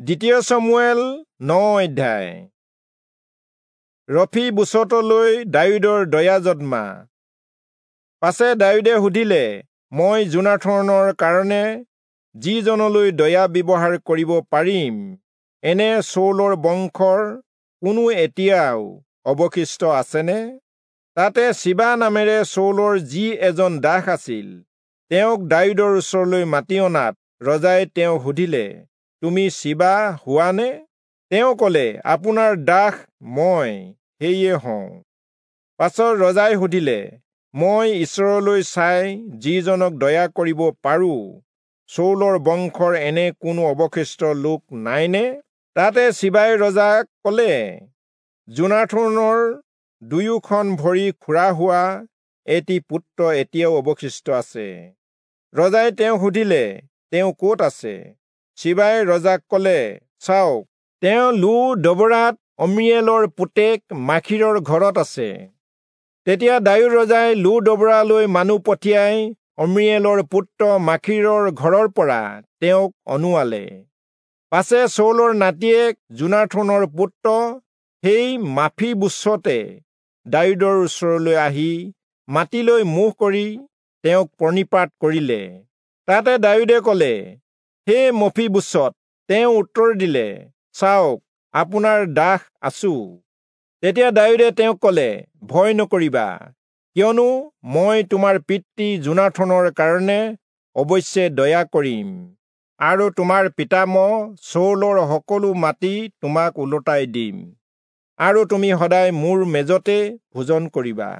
দ্বিতীয় চমূৱেল 9 অধ্যায়। ৰফি-বোচতলৈ দায়ূদৰ দয়া জন্মা। পাছে দায়ূদে সুধিলে, মই যোনাথনৰ কাৰণে যিজনলৈ দয়া ব্যৱহাৰ কৰিব পাৰিম, এনে চৌলৰ বংশৰ কোনো এতিয়াও অৱশিষ্ট আছেনে? তাতে চিবা নামেৰে চৌলৰ যি এজন দাস আছিল, তেওঁক দায়ূদৰ ওচৰলৈ মাতি অনাত ৰজাই তেওঁক সুধিলে, তুমি চিবা হোৱা নে? তেওঁ কলে, আপোনাৰ দাস মই সেয়ে হওঁ। পাছত ৰজাই সুধিলে, মই ঈশ্বৰলৈ চাই যিজনক দয়া কৰিব পাৰো, চৌলৰ বংশৰ এনে কোনো অৱশিষ্ট লোক নাইনে? তাতে চিবাই ৰজাক কলে, যোনাথনৰ দুয়োখন ভৰি খোৰা হোৱা এটি পুত্ৰ এতিয়াও অৱশিষ্ট আছে। ৰজাই তেওঁক সুধিলে, তেওঁ ক'ত আছে? চিবাই ৰজাক কলে, চাওক, তেওঁ লো-দবৰাত অম্মিয়েলৰ পুতেক মাখীৰৰ ঘৰত আছে। তেতিয়া দায়ূদ ৰজাই লো-দবৰালৈ মানুহ পঠিয়াই অম্মিয়েলৰ পুত্ৰ মাখীৰৰ ঘৰৰ পৰা তেওঁক অনুৱালে। পাছে চৌলৰ নাতিয়েক যোনাথনৰ পুত্ৰ সেই মাফিবোচতে দায়ূদৰ ওচৰলৈ আহি মাটিলৈ মুখ কৰি তেওঁক প্ৰণিপাত কৰিলে। তাতে দায়ূদে কলে, হে মফিবোচত। তেওঁ উত্তৰ দিলে, চাওক, আপোনাৰ দাস আছো। তেতিয়া দায়ূদে তেওঁক কলে, ভয় নকৰিবা, কিয়নো মই তোমাৰ পিতৃ যোনাথনৰ কাৰণে অৱশ্যে দয়া কৰিম, আৰু তোমাৰ পিতামহ চৌলৰ সকলো মাটি তোমাক ওলোটাই দিম, আৰু তুমি সদায় মোৰ মেজতে ভোজন কৰিবা।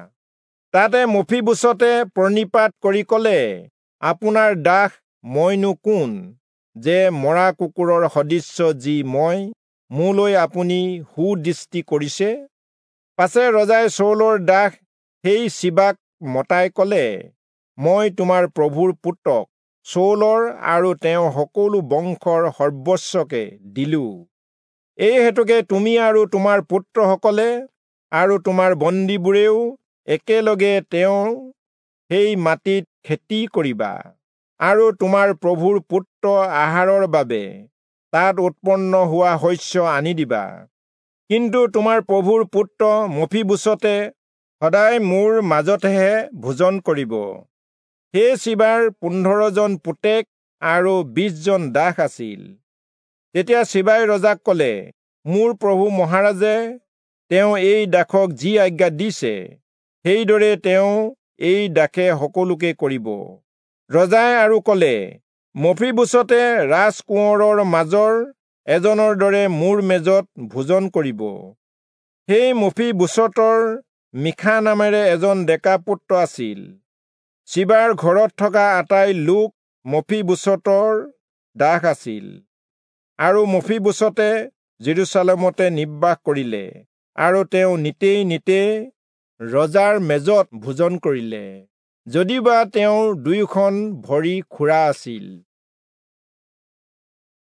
তাতে মফিবোচতে প্ৰণিপাত কৰি কলে, আপোনাৰ দাস মইনো কোন, যে মৰা কুকুৰৰ সদৃশ্য যি মই, মোলৈ আপুনি সুদৃষ্টি কৰিছে? পাছে ৰজাই চৌলৰ দাস সেই চিবাক মতাই কলে, মই তোমাৰ প্ৰভুৰ পুত্ৰক চৌলৰ আৰু তেওঁৰ সকলো বংশৰ সৰ্বস্বকে দিলো। এই হেতুকে তুমি আৰু তোমাৰ পুত্ৰসকলে আৰু তোমাৰ বন্দীবোৰেও একেলগে তেওঁৰ সেই মাটিত খেতি কৰিবা, আৰু তোমাৰ প্ৰভুৰ পুত্ৰ আহাৰৰ বাবে তাত উৎপন্ন হোৱা শস্য আনি দিবা। কিন্তু তোমাৰ প্ৰভুৰ পুত্ৰ মফিবোচতে সদায় মোৰ মাজতহে ভোজন কৰিব। সেই চিবাৰ 15 জন পুতেক আৰু 20 জন দাস আছিল। তেতিয়া চিবাই ৰজাক কলে, মোৰ প্ৰভু মহাৰাজে তেওঁ এই দাসক যি আজ্ঞা দিছে, সেইদৰে তেওঁ এই দাসে সকলোকে কৰিব। ৰজাই আৰু কলে, মফিবোচতে ৰাজকোঁৱৰৰ মাজৰ এজনৰ দৰে মোৰ মেজত ভোজন কৰিব। সেই মফিবোচতৰ মিখা নামেৰে এজন ডেকা পুত্ৰ আছিল। চিবাৰ ঘৰত থকা আটাই লোক মফিবোচতৰ দাস আছিল। আৰু মফিবোচতে জেৰুচালেমতে নিবাস কৰিলে, আৰু তেওঁ নিতেই নিতেই ৰজাৰ মেজত ভোজন কৰিলে, যদিওবা তেওঁৰ দুয়োখন ভৰি খোৰা আছিল।